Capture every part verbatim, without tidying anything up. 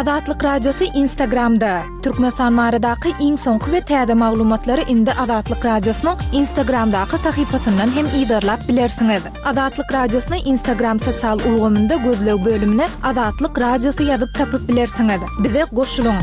Azatlyk Radiosy Instagramda. Türkmenistan baradaky iň soňky we täze maglumatlary indi Azatlyk Radiosynyň Instagramdaky sahypasyndan hem yzarlap bilersiňiz. Azatlyk Radiosyny Instagram sosial ulgamynda gözleg bölümine Azatlyk Radiosy ýazyp tapyp bilersiňiz. Bize goşulyň.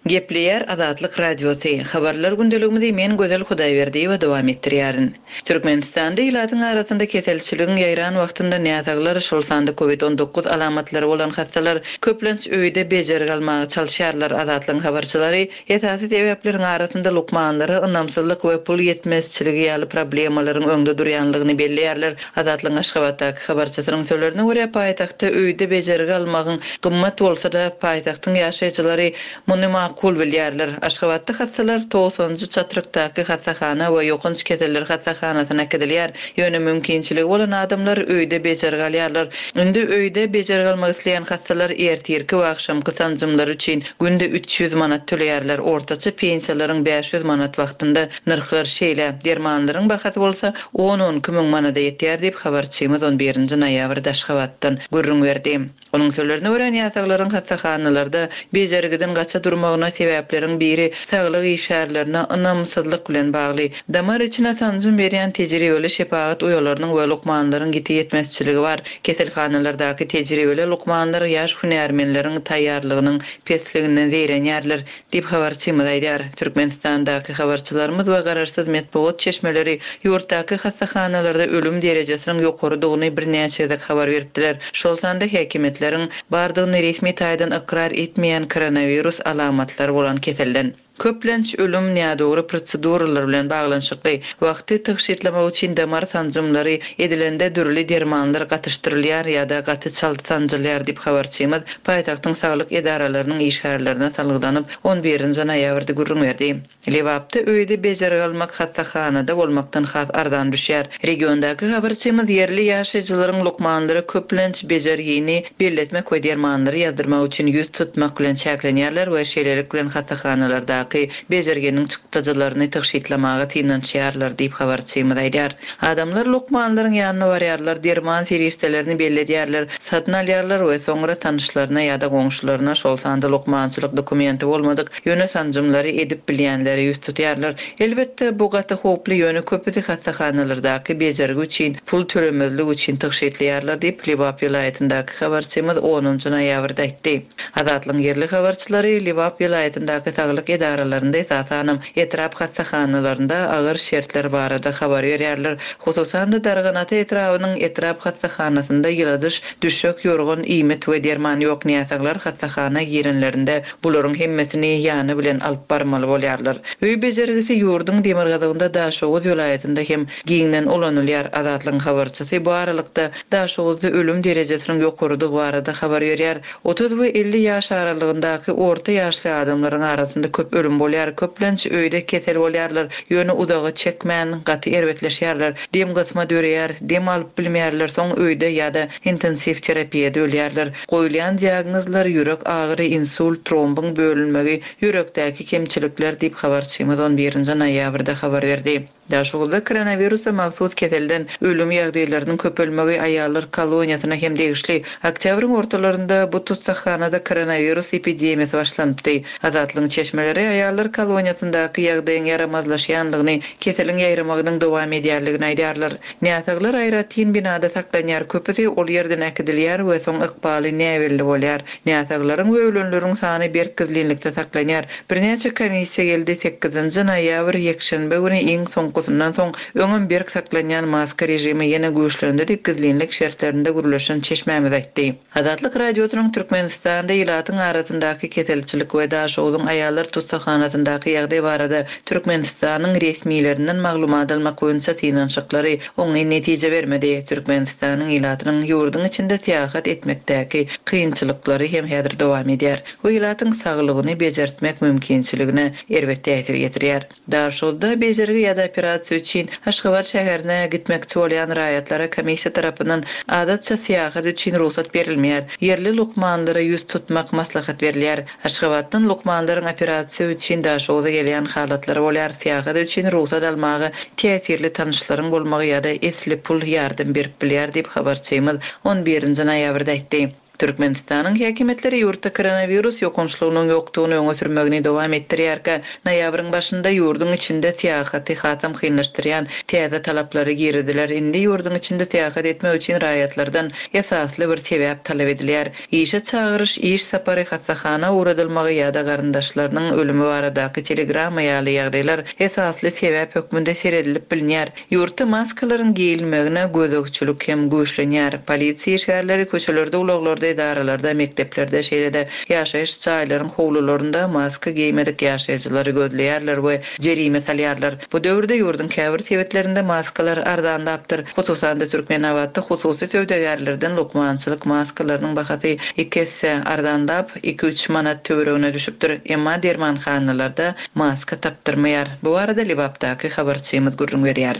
Gepleýär Azatlyk Radiosy. Habarlar gündeligimizi men Gözel Hudaýberdiýewa dowam etdirýärin. Türkmenistanda ilatyň arasynda keselçiligiň ýaýran wagtynda näsaglar, şol sanda COVID on dokuz alamatlary bolan hastalar köplenç öýde bejergi almaga çalyşýarlar. Azatlygyň habarçylary esasy sebäpleriň arasynda lukmanlara ynamsyzlyk we pul ýetmezçiligi ýaly problemalaryň öňde durýanlygyny belleýärler. Azatlygyň Aşgabatdaky habarçysynyň sözlerine görä, paýtagtda öýde bejergi almagyň gymmat bolsa-da, paýtagtyň ýaşaýjylary muny makul bilýärler. Aşgabatda hastalar togsanjy çatrykdaky hassahana we ýokanç keseller hassahanasyna äkidilýär. Ýöne mümkinçiligi bolan adamlar öýde bejergi alýarlar. Indi öýde bejergi almak isleýän hastalar ertirki we akşamky sanjymlar üçin günde üç ýüz manat töleýärler. Ortaça pensiýalaryň bäş ýüz manat wagtynda nyrhlar şeýle, dermanlaryň bahasy bolsa on-on iki müň manada ýetýär diýip habarçymyz on birinji noýabrda Aşgabatdan gürrüň berdi. Onuň sözlerine görä, näsaglaryň hassahanalarda bejergiden gaça durmagyna sebäpleriň biri saglyk işgärlerine ynamsyzlyk bilen bagly. Damar içine sanjym berýän tejribeli şepagat uýalarynyň we lukmanlaryň ýiti ýetmezçiligi bar. Keselhanalardaky tejribeli lukmanlar ýaş hünärmenleriň taýýarlygynyň pesliginden zeýrenýärler diýip habarçymyz aýdýar. Türkmenistandaky habarçylarymyz we garaşsyz metbugat çeşmeleri ýurtdaky hassahanalarda ölüm derejesiniň ýokarydygyny birnäçe gezek habar beripdiler. Şol sanda häkimiýetleriň bardygyny resmi taýdan ykrar etmeýän koronavirus alamatlary bolan keselden. Köplenç ölüm nädogry proseduralar bilen baglanyşykly. Wagty tygşytlamak üçin damar sanjymlary edilende dürli dermanlar gatyşdyrylýar ýa-da gaty çalt sanjylýar diýip habarçymyz paýtagtyň saglyk edaralarynyň işgärlerine salgylanyp on birinji noýabrda gürrüň berdi. Lebapda öýde bejergi almak hassahanada bolmakdan has arzan düşýär. Regiondaky habarçymyz ýerli ýaşaýjylaryň lukmanlara köplenç bejergini belletmek we dermanlary ýazdyrmak üçin ýüz tutmak bilen çäklenýärler we şeýlelik bilen hassahanalardaky bejerginiň çykdajylaryny tygşytlamaga synanyşýarlar diýip habarçymyz aýdýar. Adamlar lukmanlaryň ýanyna barýarlar, derman serişdelerini belledýärler, satyn alýarlar we soňra tanyşlaryna ýa-da goňşularyna, şol sanda lukmançylyk dokumenti bolmadyk, ýöne sanjymlary edip bilýänlere ýüz tutýarlar. Elbetde bu gaty howply, ýöne köpüsi hassahanalardaky bejergi üçin pul tölemezlik üçin tygşytlaýarlar diýip Lebap welaýatyndaky habarçymyz onunjy noýabrda aýtdy. Azatlygyň ýerli habarçylary Lebap welaýatyndaky saglyk edaralarynda esasanam etrap hassahanalarynda agyr şertler barada habar berýärler. Hususan-da Darganata etrabynyň etrap hassahanasynda ýyladyş, düşek, ýorgan, iýmit we derman ýok näsaglar hassahana girenlerinde bularyň hemmesini ýany bilen alyp barmaly bolýarlar. Öý bejergisi ýurduň demirgazygynda Daşoguz welaýatynda hem giňden ulanylýar. Azatlygyň habarçysy bu aralykda Daşoguzda ölüm derejesiniň ýokarydygy barada habar berýär. Otuz we elli ýaş aralygyndaky orta ýaşly adamlaryň arasynda köp ölüm bolýar. Köplenç öýde kesel bolýarlar, ýöne uzaga çekmän gaty erbetleşýärler. Dem gysma döreýär, dem alyp bilmeýärler, soň öýde ýa-da intensiw terapiýada ölýärler. Goýulýan diagnozlar ýürek agyry, insult, trombyň bölünmegi, ýürekdäki kemçilikler diýip habarçymyz on birinji noýabrda habar berdi. Daşoguzda koronawirusa mahsus keselden ölüm ýagdaýlarynyň köpelmegi aýallar koloniýasyna hem degişli. Oktýabryň ortalarynda bu tutsahanada koronawirus epidemiýasy başlanypdy. Azatlygyň çeşmeleri aýallar koloniýasyndaky ýagdaýyň ýaramazlaşýanlygyny, keseliň ýaýramagynyň dowam edýärligini aýdýarlar. Näsaglar aýratyn binada saklanýar, köpüsi ol ýerden äkidilýär we soň ykbaly näbelli bolýar. Näsaglaryň we ölenleriň sany berk gizlinlikde saklanýar. Birnäçe komissiýa geldi sekizinji noýabr ýekşenbe güni iň soňkusundan soň öňem berk saklanýan maska režimi ýene güýçlendi diýip gizlinlik şertlerinde gürleşen çeşmämiz aýtdy. Azatlyk Radiosynyň Türkmenistanda ilatyň arasyndaky keselçilik we Daşogzuň aýallar tutsahanasyndaky ýagdaý barada Türkmenistanyň resmilerinden maglumat almak boýunça synanyşyklary oňyn netije bermedi. Türkmenistanyň ilatynyň ýurduň içinde syýahat etmekdäki kynçylyklary hem häzir dowam edýär. Bu ilatyň saglygyny bejertmek mümkinçiligine erbet täsir ýetirýär. Daşoguzda bejergi ýa-da Operasiýa üçin Aşgabat şäherine gitmekçi bolýan raýatlara komissiýa tarapyndan adatça syýahat üçin rugsat berilmeýär. Ýerli lukmanlara ýüz tutmak maslahat berilýär. Aşgabatdan lukmanlaryň operasiýa üçin Daşoguza gelýän halatlary bolýar. Syýahat üçin rugsat almaga täsirli tanyşlaryň bolmagy ýa-da esli pul ýardam berip bilýär diýip habarçymyz on birinji noýabrda aýtdy. Türkmenistanyň häkimiýetleri ýurtda koronawirus ýokançlygynyň ýokdugyny öňe sürmegini dowam etdirýärkä, noýabryň başynda ýurduň içinde syýahaty hasam kynlaşdyrýan täze talaplary girdiler. Indi ýurduň içinde syýahat etmek üçin raýatlardan esasly bir sebäp talap edilýär. Işe çagyryş, iş sapary, hassahana ugradylmagy ýa-da garyndaşlarynyň ölümi baradaky telegramma ýaly ýagdaýlar esasly sebäp hökmünde seredilip bilinýär. Ýurtda maskalaryň geýilmegine gözegçilik hem güýçlenýär. Polisiýa işgärleri köçelerde, ulaglarda, edaralarda, mekdeplerde, şeýle-de ýaşaýyş jaýlaryň howlularynda maska geýmedik ýaşaýjylary gözleýärler we jerime salýarlar. Bu döwürde ýurduň käbir sebitlerinde maskalar arzanlapdyr. Hususan-da Türkmenabatda hususy söwdagärlerden lukmançylyk maskalarynyň bahasy iki esse arzanlap, iki-üç manat töweregine düşüpdir. Emma dermanhanalarda maska tapdyrmaýar. Bu arada Lebapdaky habarçymyz gürrüň berýär.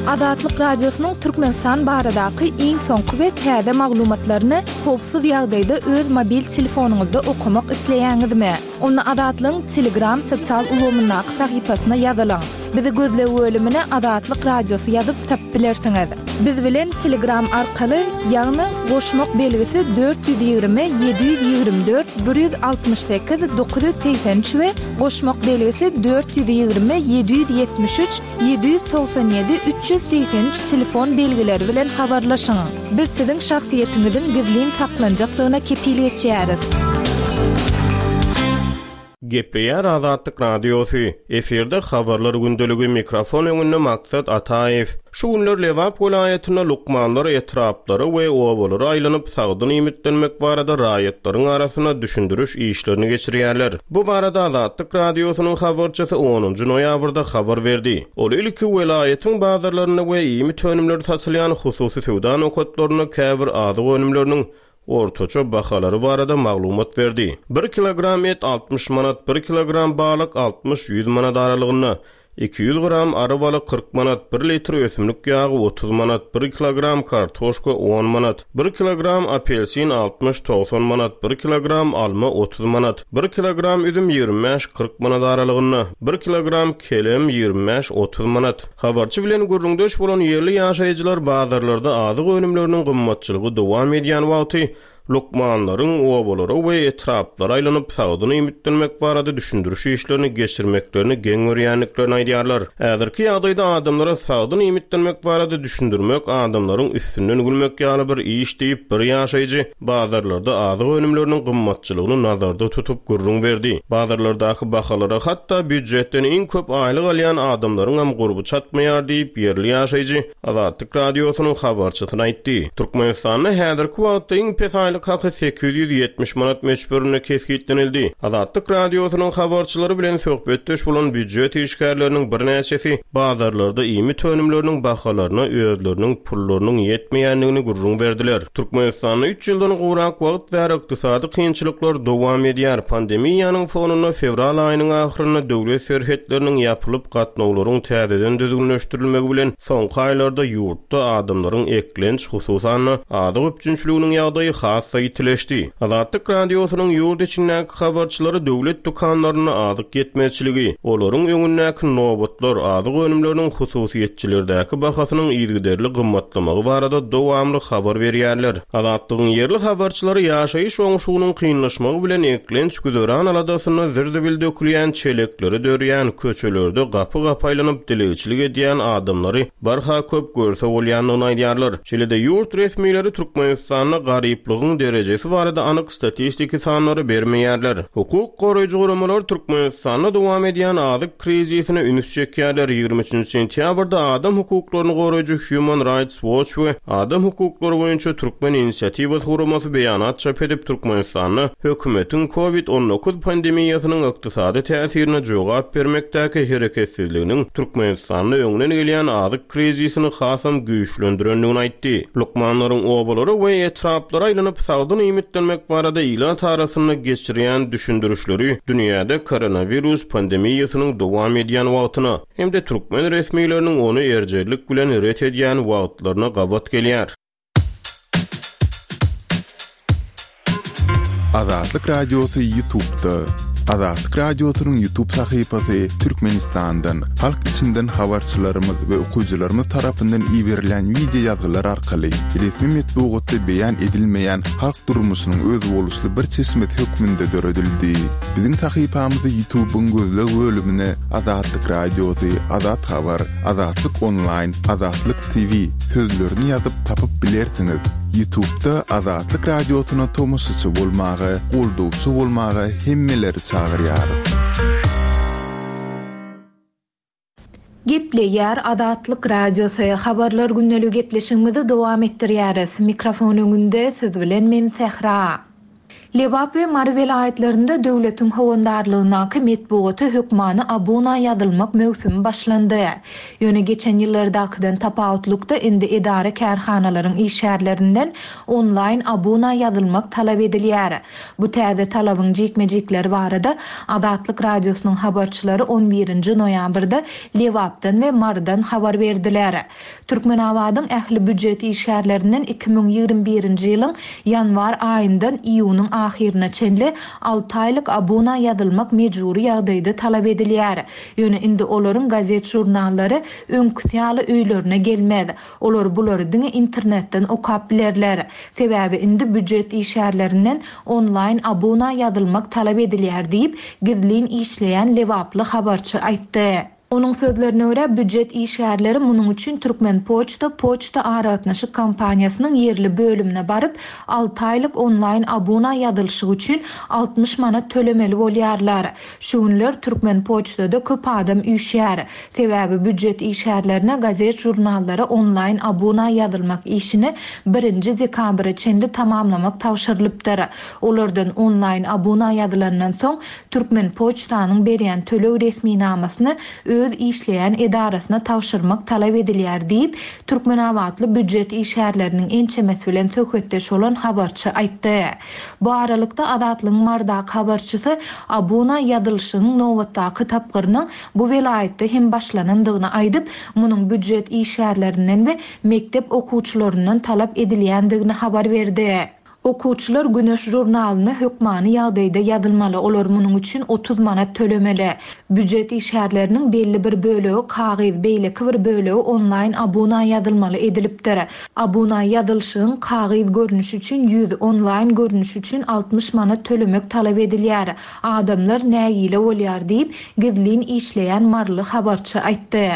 Azatlyk Radiosynyň Türkmenistan baradaky iň soňky we täze maglumatlaryny howpsuz ýagdaýda öz mobil telefonyňyzda okamak isleýäňizmi? Onda Azatlygyň Telegram sosial ulgamyndaky sahypasyna ýazylyň. Bizi gözleg bölümine Azatlyk Radiosy ýazyp tapyp bilersiňiz. Biz bilen Telegram arkaly, ýagny goşmak belgisi dört ýüz ýigrimi, ýedi ýüz ýigrimi dört, bir ýüz altmyş sekiz, dokuz ýüz segsen üç we goşmak belgisi dört ýüz ýigrimi, ýedi ýüz ýetmiş üç, ýedi ýüz togsan ýedi, üç ýüz segsen üç telefon belgileri bilen habarlaşyň. Biz siziň şahsyýetiňiziň gizlin saklanjakdygyna kepil geçýäris. Gepleýär Azatlyk Radiosy. Efirde habarlar gündeligi, mikrofon öňünde Maksat Ataýew. Şu günler Lebap welaýatynda lukmanlar etraplara we obalara aýlanyp sagdyn iýmitlenmek barada raýatlaryň arasynda düşündiriş işlerini geçirýärler. Bu barada Azatlyk Radiosynyň habarçysy onunjy noýabrda habar berdi. Ol ilki welaýatyň bazarlarynda we iýmit önümleri satylýan hususy söwda nokatlarynda käbir azyk önümleriniň ortaça bahalary barada maglumat berdi. Bir kilogram et altmyş manat, bir kilogram balyk altmyş ýüz manat aralygynda, iki ýüz gram ary balyk kyrk manat, bir litr ösümlik ýagy otuz manat, bir kilogram kartoşka on manat, bir kilogram apelsin altmyş togsan manat, bir kilogram alma otuz manat, bir kilogram üzüm ýigrimi bäş kyrk manat aralygynda, bir kilogram kelem ýigrimi bäş otuz manat. Habarçy bilen gürrüňdeş bolan ýerli ýaşaýjylar bazarlarda azyk önümleriniň gymmatçylygy dowam edýän wagty lukmanlaryň obalara we etraplara aýlanyp sagdyn iýmitlenmek barada düşündiriş işlerini geçirmeklerini geň görýändiklerini aýdýarlar. Häzirki ýagdaýda adamlara sagdyn iýmitlenmek barada düşündirmek adamlaryň üstünden gülmek ýaly bir iş diýip bir ýaşaýjy bazarlarda azyk önümleriniň gymmatçylygyny nazarda tutup gürrüň berdi. Bazarlardaky bahalara hatda býujetden iň köp aýlyk alýan adamlaryň hem gurby çatmaýar diýip ýerli ýaşaýjy Azatlyk Radiosynyň habarçysyna aýtdy. Türkmenistanda häzirki wagtda iň pes aýlyk haky sekiz ýüz ýetmiş manat möçberinde kesgitlenildi. Azatlyk Radiosynyň habarçylary bilen söhbetdeş bolan býujet işgärleriniň birnäçesi bazarlarda iýmit önümleriniň bahalaryna özleriniň pullarynyň ýetmeýändigini gürrüň berdiler. Türkmenistanda üç ýyldan gowrak wagt bäri ykdysady kynçylyklar dowam edýär. Pandemiýanyň fonunda fewral aýynyň ahyrynda döwlet serhetleriniň ýapylyp gatnawlaryň täzeden düzgünleşdirilmegi bilen soňky aýlarda ýurtda adamlaryň eklenç, hususan-da azyk üpjünçiliginiň ýagdaýy has ýitileşdi. Azatlyk Radiosynyň ýurt içindäki habarçylary döwlet dükanlarynda azyk ýetmezçiligi, olaryň öňündäki nobatlar, azyk önümleriniň hususyýetçilerdäki bahasynyň yzygiderli gymmatlamagy barada dowamly habar berýärler. Azatlygyň ýerli habarçylary ýaşaýyş oňşugynyň kynlaşmagy bilen eklenç güzeran aladasynda zir-zibil dökülýän çelekleri dörýän köçelerde gapy-gapy aýlanyp dilegçilik edýän adamlary barha köp görse bolýandygyny aýdýarlar. Şeýle-de ýurt resmileri Türkmenistanda garyplygyň derejesi barada anyk statistiki sanlary bermeýärler. Hukuk goraýjy guramalar Türkmenistanda dowam edýän azyk krizisine üns çekýärler. Ýigrimi üçünji sentýabrda adam hukuklaryny goraýjy Human Rights Watch we adam hukuklary boýunça Türkmen inisiatiwasy guramasy beýanat çap edip Türkmenistanda hökümetiň COVID on dokuz pandemiýasynyň ykdysady täsirine jogap bermekdäki hereketsizliginiň Türkmenistanda öňden gelýän azyk krizisini hasam güýçlendirendigini aýtdy. Lukmanlaryň obalara we etraplara aýlanyp sagdyn iýmitlenmek barada ilat arasynda geçirýän düşündirişleri dünýäde koronawirus pandemiýasynyň dowam edýän wagtyna hem-de türkmen resmileriniň ony erjellik bilen ret edýän wagtlaryna gabat gelýär. Azatlyk Radiosy YouTube'da. Azatlyk Radiosynyň YouTube sahypasy Türkmenistandan, halk içinden habarçylarymyz we okyjylarymyz tarapyndan iberilen video ýazgylar arkaly resmi metbugatda beýan edilmeýän halk durmuşynyň özboluşly bir çeşmesi hökmünde döredildi. Biziň sahypamyzy YouTube'yň gözleg bölümine Azatlyk Radiosy, Azat Habar, Azatlyk Online, Azatlyk T V sözlerini ýazyp tapyp bilersiňiz. YouTube'da Azatlyk Radiosyna tomaşaçy bolmaga, goldawçy bolmaga hemmeleri çagyrýarys. Gepleýär Azatlyk Radiosy. Habarlar gündelik gepleşigimizi dowam etdirýäris. Mikrofon öňünde siz bilen men Sähra. Lebap we Mary welaýatlarynda döwletiň howandarlygyndaky metbugata hökmany abuna ýazylmak möwsümi başlandy. Ýöne geçen ýyllardakydan tapawutlykda indi edara kärhanalaryň işgärlerinden onlaýn abuna ýazylmak talap edilýär. Bu täze talabyň jikme-jikleri barada Azatlyk Radiosynyň habarçylary on birinji noýabrda Lebapdan we Marydan habar berdiler. Türkmenabadyň ähli büdjet işgärlerinden iki müň ýigrimi birinji ýylyň ýanwar aýyndan iýunyň ahyryna çenli alty aýlyk abuna ýazylmak mejbury ýagdaýda talap edilýär. Ýöne indi olaryň gazet jurnallary öňküsi ýaly öýlerine gelmez. Olar bulary diňe internetden okap bilerler. Sebäbi indi büdjet işgärlerinden onlaýn abuna ýazylmak talap edilýär diýip, gizlin işleýän Lebaply habarçy aýtdy. Onuň sözlerine görä büdjet işgärleri munuň üçin Türkmen Poçta Poçta aragatnaşyk kompaniýasynyň ýerli bölümine baryp, alty aýlyk onlaýn abuna ýazylyşy üçin altmyş manat tölemeli bolýarlar. Şu günler Türkmen Poçtada köp adam üýşýär. Sebäbi büdjet işgärlerine gazet jurnallara onlaýn abuna ýazylmak işini birinji dekabra çenli tamamlamak tabşyrylypdyr. Olardan onlaýn abuna ýazylandan soň Türkmen Poçtanyň berýän töleg resminamasyny öz işleýän edarasyna tabşyrmak talap edilýär diýip, Türkmenabatly büdjet işgärleriniň ençemesi bilen söhbetdeş bolan habarçy aýtdy. Bu aralykda Azatlygyň Mardaky habarçysy abuna ýazylyşynyň nobatdaky tapgyrynyň bu welaýatda hem başlanandygyny aýdyp, munuň büdjet işgärlerinden we mekdep okuwçylaryndan talap edilýändigini habar berdi. Okuwçylar Güneş jurnalyna hökmany ýagdaýda ýazylmaly, olar munuň üçin otuz manat tölemeli. Büdjet işgärleriniň belli bir bölegi kagyz, beýleki bir bölegi onlaýn abuna ýazylmaly edilipdir. Abuna ýazylyşyň kagyz görnüşi üçin ýüz, onlaýn görnüşi üçin altmyş manat tölemek talap edilýär. Adamlar nägile bolýar diýip, gizlin işleýän Maryly habarçy aýtdy.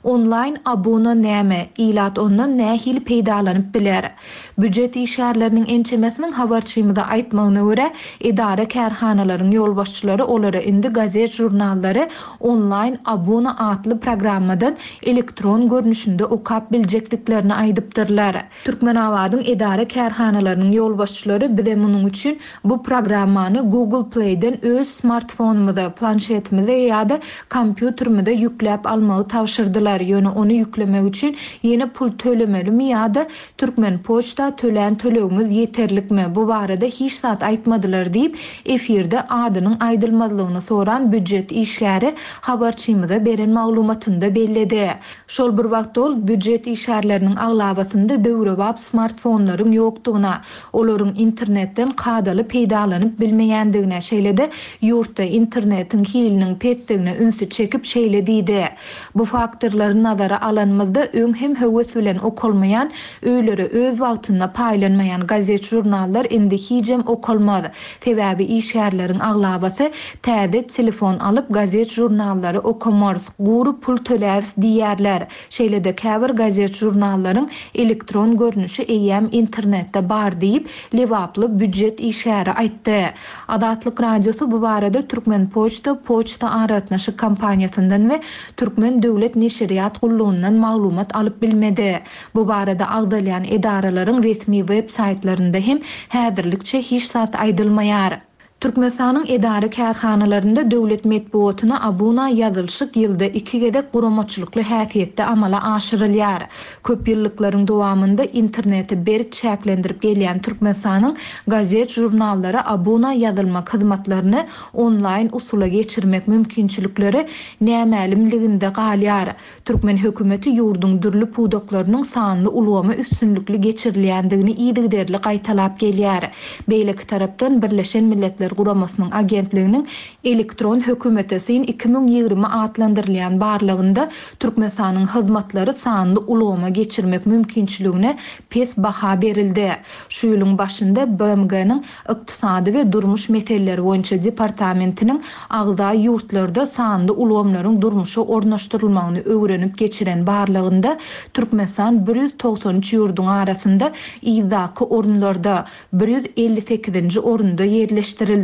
Onlaýn abuna näme? Ilat ondan nähili peýdalanyp biler? Büdjet işgärleriniň ençemesiniň habarçymyza aýtmagyna görä, edara kärhanalaryň ýolbaşçylary olara indi gazet jurnallary onlaýn abuna atly programmadan elektron görnüşinde okap biljekdiklerini aýdypdyrlar. Türkmenabadyň edara kärhanalarynyň ýolbaşçylary bize munuň üçin bu programmany Google Play'den öz smartfonumyza, planşetimize ýa-da kompýuterimize ýükläp almagy tabşyrdylar. Ýöne ony ýüklemek üçin ýene pul tölemelimi ýa-da Türkmen Poçta tölän tölegimiz ýeterlikmi? Bu barada hiç zat aýtmadylar diýip, efirde adynyň aýdylmazlygyny soran büdjet işgäri habarçymyza beren maglumatynda belledi. Şol bir wagtda ol büdjet işgärleriniň aglabasynda döwrebap smartfonlaryň ýokdugyna, olaryň internetden kadaly peýdalanyp bilmeýändigine, şeýle-de ýurtda internetiň hiliniň pesdigine ünsi çekip şeýle diýdi. Bu faktorlary nazara alanymyzda öň hem höwes bilen okalmaýan, öýlere öz wagtynda paýlanmaýan gazet jurnallar indi hijem okalmaz. Sebäbi işgärleriň aglabasy täze telefon alyp gazet jurnallary okamaz, gury pul töläris diýerler. Şeýle-de käbir gazet jurnallaryň elektron görnüşi eýýäm internetde bar diýip, Lebaply büdjet işgäri aýtdy. Azatlyk Radiosy bu barada Türkmen Poçta Poçta aragatnaşyk kompaniýasyndan we Türkmen Döwlet Neşirýat gullugyndan maglumat alyp bilmedi. Bu barada agzalýan edaralaryň resmi web saýtlarynda hem häzirlikçe hiç zat aýdylmaýar. Türkmenistanyň edara kärhanalarynda döwlet metbugatyna abuna ýazylyşyk ýylda iki gezek guramaçylykly häsiýetde amala aşyrylýar. Köp ýyllyklaryň dowamynda interneti berk çäklendirip gelýän Türkmenistanyň gazet žurnallara abuna ýazylmak hyzmatlaryny onlaýn usula geçirmek mümkinçilikleri nämälimliginde galýar. Türkmen hökümeti ýurduň dürli pudaklarynyň sanly ulgamy üstünlikli geçirilýändigini yzygiderli gaýtalap gelýär. Beýleki tarapdan Birleşen Milletler Guramasynyň agentliginiň elektron hökümete syn iki müň ýigrimi atlandyrylýan barlygynda Türkmenistanyň hyzmatlary sanly ulgama geçirmek mümkinçiligine pes baha berildi. Şu ýylyň başynda B M G-niň Ykdysady we Durmuş meseleleri boýunça departamentiniň agza ýurtlarda sanly ulgamlaryň durmuşa ornaşdyrylmagyny öwrenip geçiren barlygynda Türkmenistan bir ýüz togsan üç ýurduň arasynda yzdaky orunlarda bir ýüz elli sekizinji orunda ýerleşdirildi.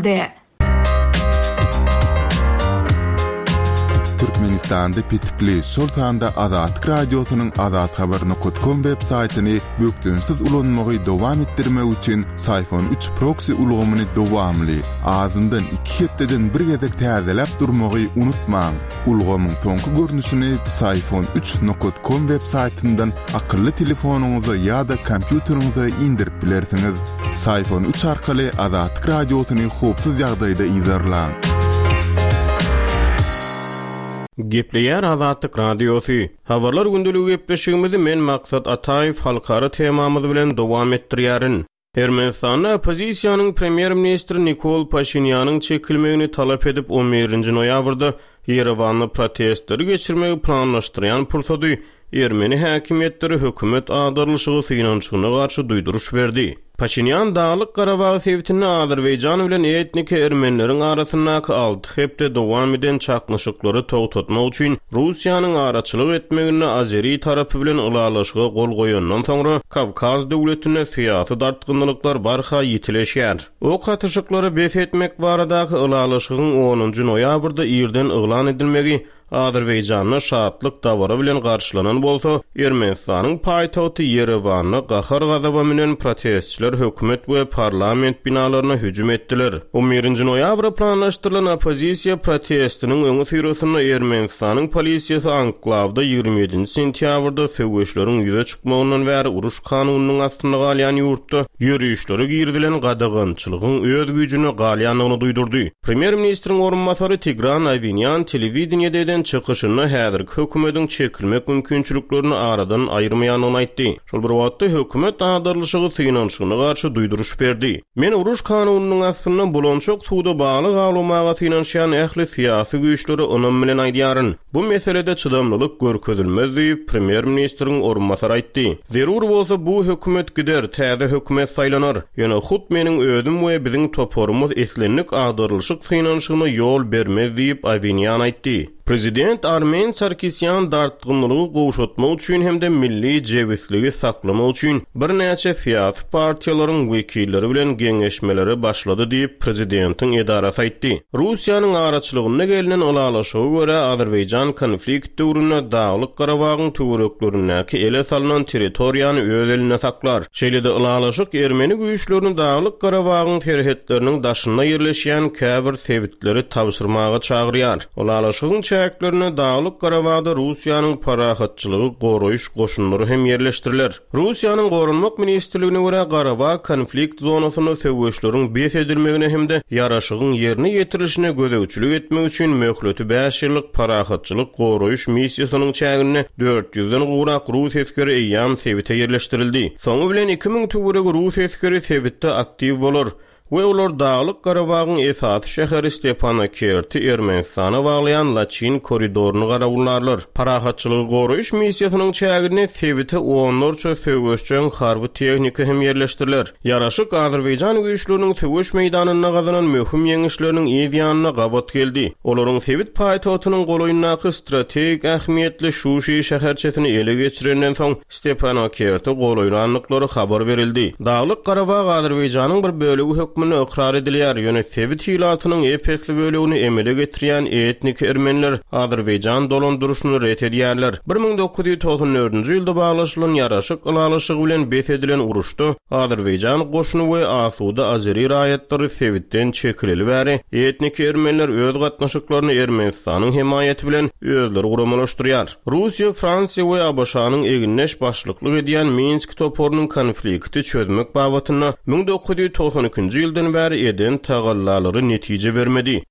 Türkmenistanda petikli, şol sanda Azatlyk Radiosynyň azathabar nokta com web saýtyny bökdençsiz ulanmagy dowam etdirmek üçin Syfon üç proxy ulgamyny dowamly, azyndan iki hepdeden bir gezek täzeläp durmagy unutmaň. Ulgamyň soňky görnüşini Syfon üç nokta com web saýtyndan akylly telefonyňyza ýa-da kompýuteriňize indirip bilersiňiz. Syfon üç arkaly Azatlyk Radiosyny howpsuz ýagdaýda yzarlaň. Gepleýär Azatlyk Radiosy. Habarlar gündeligi gepleşigimizi men Maksat Ataýew halkara temamyz bilen dowam etdirýärin. Ermenistanda oppozisiýanyň premýer-ministri Nikol Paşinýanyň çekilmegini talap edip on birinji noýabrda Ýerewanda protestleri geçirmegi planlaşdyrýan pursady Ermeni häkimiýetleri hökümet agdarlyşygy synanyşygyna garşy duýduryş berdi. Paşinýan Daglyk Garabag sebitinde Azerbaýjan bilen etniki ermenileriň arasyndaky alty hepde dowam eden çaknyşyklary togtatmak üçin Russiýanyň araçylyk etmeginde Azeri tarapy bilen ylalaşyga gol goýandan soňra Kawkaz döwletinde syýasy dartgynlyklar barha ýitileşýär. Ok atyşyklary bes etmek baradaky ylalaşygyň onunjy noýabrda irden yglan edilmegi Azerbaýjanda şatlyk dabara bilen garşylanan bolsa, Ermenistanyň paýtagty Ýerewanda gahar-gazaba münen protestçiler hökümet we parlament binalaryna hüjüm etdiler. on birinji noýabra planlaşdyrylan oppozisiýa protestiniň öňi syrasynda Ermenistanyň polisiýasy Anklawda ýigrimi ýedinji sentýabrda söweşleriň ýüze çykmagyndan bäri uruş kanunynyň astynda galýan ýurtda ýörişlere girizilen gadagançylygyň öz güýjüne galýandygyny duýdurdy. Premýer-ministriň orunbasary Tigran Awinýan telewideniýede eden çykyşynda häzirki hökümetiň çekilmek mümkinçiliklerini aradan aýyrmaýandygyny aýtdy. Şol bir wagtda hökümet agdarlyşygy synanyşygyna garşy duýduryş berdi. Men uruş kanunynyň astynda bulançak suwda balyk awlamaga synanyşýan ähli syýasy güýçlere ynam bilen aýdýaryn. Bu meselede çydamlylyk görkezilmez diýip premýer-ministriň orunbasary aýtdy. Zerur bolsa bu hökümet gider, täze hökümet saýlanar. Ýöne hut meniň özüm we biziň toparymyz islendik agdarlyşyk synanyşygyna ýol bermez diýip Awinýan aýtdy. Prezident Armen Sarkisýan dartgynlygy gowşatmak üçin hem-de milli jebisligi saklamak üçin birnäçe syýasy partiýalaryň wekilleri bilen geňeşmelere başlady diýip prezidentiň edarasy aýtdy. Russiýanyň araçylygynda gelnen ylalaşyga görä Azerbaýjan konflikt döwründe Daglyk Garabagyň töwereklerindäki ele salynan territoriýany öz elinde saklar. Şeýle-de ylalaşyk Ermeni güýçlerini Daglyk Garabagyň serhetleriniň daşynda ýerleşýän käbir sebitleri tabşyrmaga çagyrýar. Ylalaşygyň çäklerine Daglyk Garabagda Russiýanyň parahatçylygy goraýyş goşunlary hem ýerleşdiriler. Russiýanyň Goranmak ministrligine görä Garabag konflikt zonasynda söweşleriň bes edilmegine hem-de ýaraşygyň ýerine ýetirilişine gözegçilik etmek üçin möhleti bäş ýyllyk parahatçylyk goraýyş missiýasynyň çäginde dört ýüzden gowrak rus esgeri eýýäm sebite ýerleşdirildi. Soňy bilen iki müň töweregi rus esgeri sebitde aktiw bolar we olar Daglyk Garabagyň esasy şäheri Stepanakerti Ermenistana baglaýan Laçin koridoryny garawullarlar. Parahatçylygy goraýyş missiýasynyň çäginde sebite onlarça söweşjeň harby tehnika hem ýerleşdiriler. Ýaraşyk Azerbaýjan güýçleriniň söweş meýdanynda gazanan möhüm ýeňişleriniň yz ýanyna gabat geldi. Olaryň sebit paýtagtynyň golaýyndaky strategik ähmiýetli Şuşi şäherçesini ele geçirenden soň Stepanakerti golaýlandyklary habar berildi. Daglyk Garabag Azerbaýjanyň bir bölegi hökmünde hökmünde ykrar edilýär, ýöne sebit ilatynyň ep-esli bölegini emele getirýän etnik ermeniler Azerbaýjan dolandyryşyny ret edýärler. bir müň dokuz ýüz togsan dördünji ýylda baglaşylan ýaraşyk ylalaşygy bilen bes edilen uruşda Azerbaýjan goşuny we asuda Azeri raýatlary sebitden çekileli bäri etnik ermeniler öz gatnaşyklaryny Ermenistanyň hemaýaty bilen özleri guramalaşdyrýar. Russiýa, Fransiýa we ABŞ-nyň egindeş başlyklyk edýän Minsk toparynyň konflikti çözmek babatynda müň dokuz ýüz togsan ikinji ýyldan bäri eden tagallalary netije bermedi.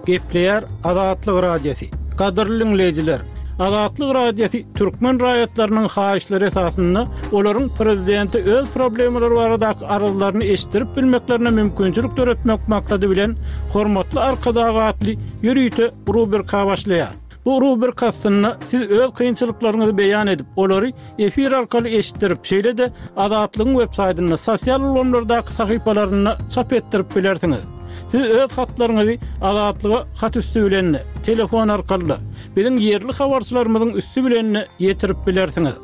Gepleýär Azatlyk Radiosy. Gadyrly dinleýjiler, Azatlyk Radiosy türkmen raýatlarynyň haýyşlary esasynda olaryň prezidenti öz problemalary baradaky arzlaryny eşitdirip bilmeklerine mümkinçilik döretmek maksady bilen Hormatly Arkadag atly ýörite rubrika başlaýar. Bu rubrika aslynda siz öz kynçylyklaryňyzy beýan edip, olary efir arkaly eşitdirip, şeýle-de Azatlygyň web saýtynda, sosial ulgamlardaky sahypalarynda çap etdirip bilersiňiz. Siz öz hatlaryňyzy Azatlyga hat üstü bilen, telefon arkaly, biziň ýerli habarçylarymyzyň üstü bilen ýetirip bilersiňiz.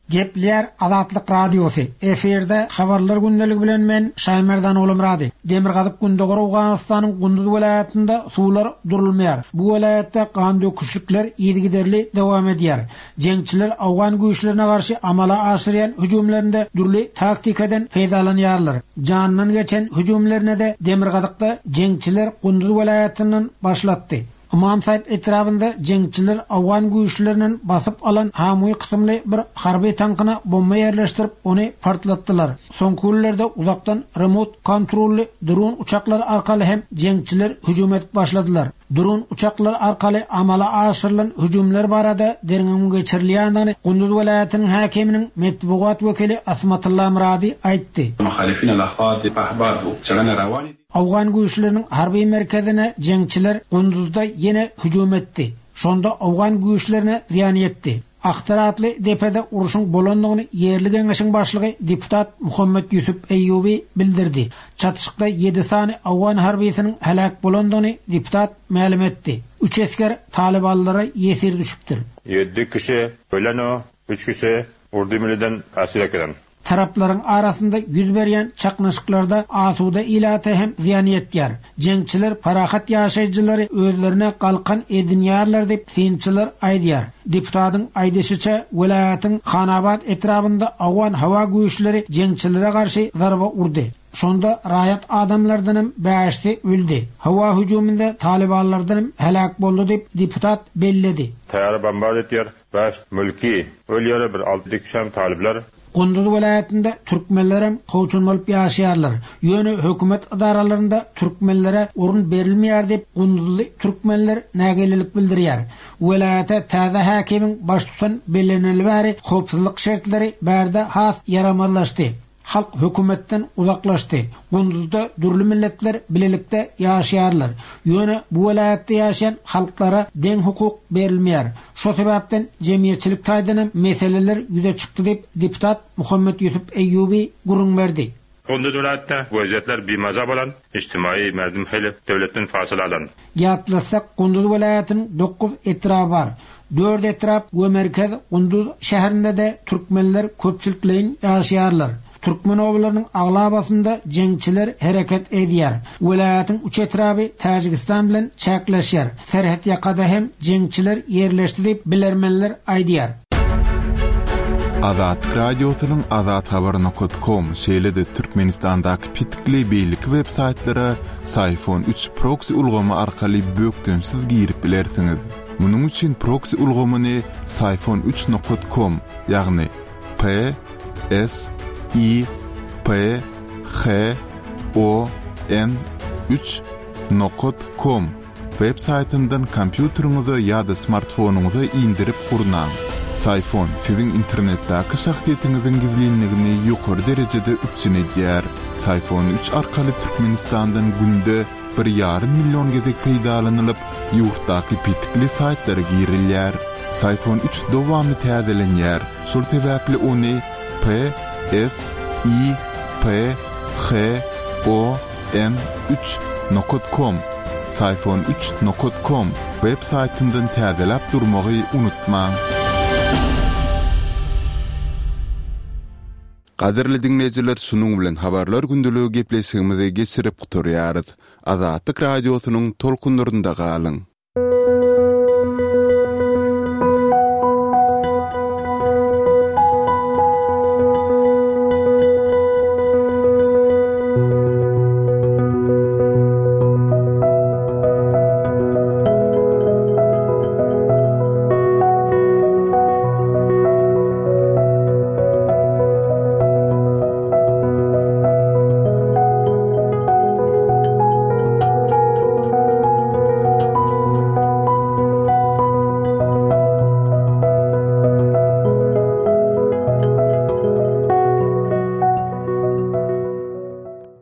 Gepleýär Azatlyk Radiosy. Efirde habarlar gündeligi bilen men Şaýmerdan Oglumrady. Demirgazyk Gündogar Owganystanyň Gunduz welaýatynda suwlar durulmaýar. Bu welaýatda gan döküşlikler yzygiderli dowam edýär. Jeňçiler Awgan güýçlerine garşy amala aşyrýan hüjümlerinde dürli taktikadan peýdalanýarlar. Jandan geçen hüjümlerine de Demirgazykda jeňçiler Gunduz welaýatyndan başlatdy. Imam Sahip etrabında jeňçiler Awgan güýçlerinden basyp alan Hamuý kysymly bir harby tankyna bomba yerleştirip ony partlatdylar. Soňky günlerde uzakdan remote kontrolly dron uçaklar arkaly hem jeňçiler hüjüm edip başladylar. Dron uçaklar arkaly amala aşyrylan hüjümler barada derňewiň geçirilýändigini Gunduz welaýatynyň häkiminiň metbugat wekili Asmatulla Muradi aýtdy. Muhalifin al-ahfad ahbar bu çagana rawani Awgan güýçleriniň harby merkezine jeňçiler Gunduzda ýene hüjüm etdi. Şonda Awgan güýçlerine zyýan ýetdi. Ahtar atly depede uruşyň bolandygyny ýerli geňeşiň başlygy deputat Muhammed Ýusuf Eýýubi bildirdi. Çatyşykda ýedi sany Awgan harbysynyň heläk bolandygyny deputat mälim etdi. Üç esger Talibanlara ýesir düşüpdir. Ýedi kişi ölen, üç kişi Urdu milliden esir edilen. Taraplaryň arasynda ýüz berýän çaknyşyklarda asuda ilata hem zyýan ýetýär. Jeňçiler parahat ýaşaýjylary özlerine galkan edinýärler diýip synçylar aýdýar. Deputatyň aýdyşyça welaýatyň Hanabat etrabynda Awgan hawa güýçleri jeňçilere garşy zarba urdy. Şonda raýat adamlardan hem bäşsi öldi. Hawa hüjüminde Talibanlardan hem heläk boldy diýip deputat belledi. Taýýar bombard etýär. Bäş mülki ölýär bir alty kişi talipler. Gunduz welaýatynda türkmenlerem kowçun bolup ýaşaýarlar. Ýöne hökümet edaralarynda türkmenlere orun berilmeýär diýip Gunduzly türkmenler nägilelik bildirýär. Welaýata täze häkimiň baştutan bellenildi bäri howpsuzlyk şertleri bärde has ýaramazlaşdy. Halk hökümetden uzaklaşdy. Gunduzda dürli milletler bilelikde ýaşaýarlar. Ýöne bu welaýatda ýaşaýan halklara deň hukuk berilmeýär. Şo sebäpden jemgyýetçilik taýdan hem meseleler ýüze çykdy diýip deputat Muhammed Ýusuf Eýýubi gürrüň berdi. Gunduz welaýatda wezýetler bimaza bolan, ijtimai merdim hili döwletden fasyl alan. Ýatlasak Gunduz welaýatynyň dokuz etraby bar. Dört etrap we merkez Gunduz şäherinde de türkmenler köpçülikleýin ýaşaýarlar. Türkmen obalarynyň aglabasynda jeňçiler hereket edýär. Welaýatyň üç etraby Täjigistan bilen çäkleşýär. Serhet ýakada hem jeňçiler ýerleşdi diýip bilermenler aýdýar. Azatlyk Radiosynyň azathabar nokta com şeýle-de Türkmenistandaky pitikli beýleki web saýtlara Syfon üç proxy ulgamy arkaly bökdençsiz girip bilersiňiz. Munuň üçin proxy ulgamyny Syfon üç nokta com, ýagny P S I P H O N üç nokta com web saýtyndan kompýuteriňize ýa-da smartfonyňyza indirip gurnaň. Syfon siziň internetdäki şahsyýetiňiziň gizlinligini ýokary derejede üpjün edýär. Syfon üç arkaly Türkmenistandan günde bir ýarym million gezek peýdalanylyp, ýurtdaky pitikli saýtlara girilýär. Syfon üç dowamly täzelenýär. Şol sebäpli ony P S I P H O N üç nokta com Syfon üç nokat com web saýtyndan täzeläp durmagy unutmaň. Gadyrly diňleýjiler, şunuň bilen habarlar gündeligi gepleşigimizi geçirip gutarýarys. Azatlyk Radiosynyň tolkunlarynda galyň.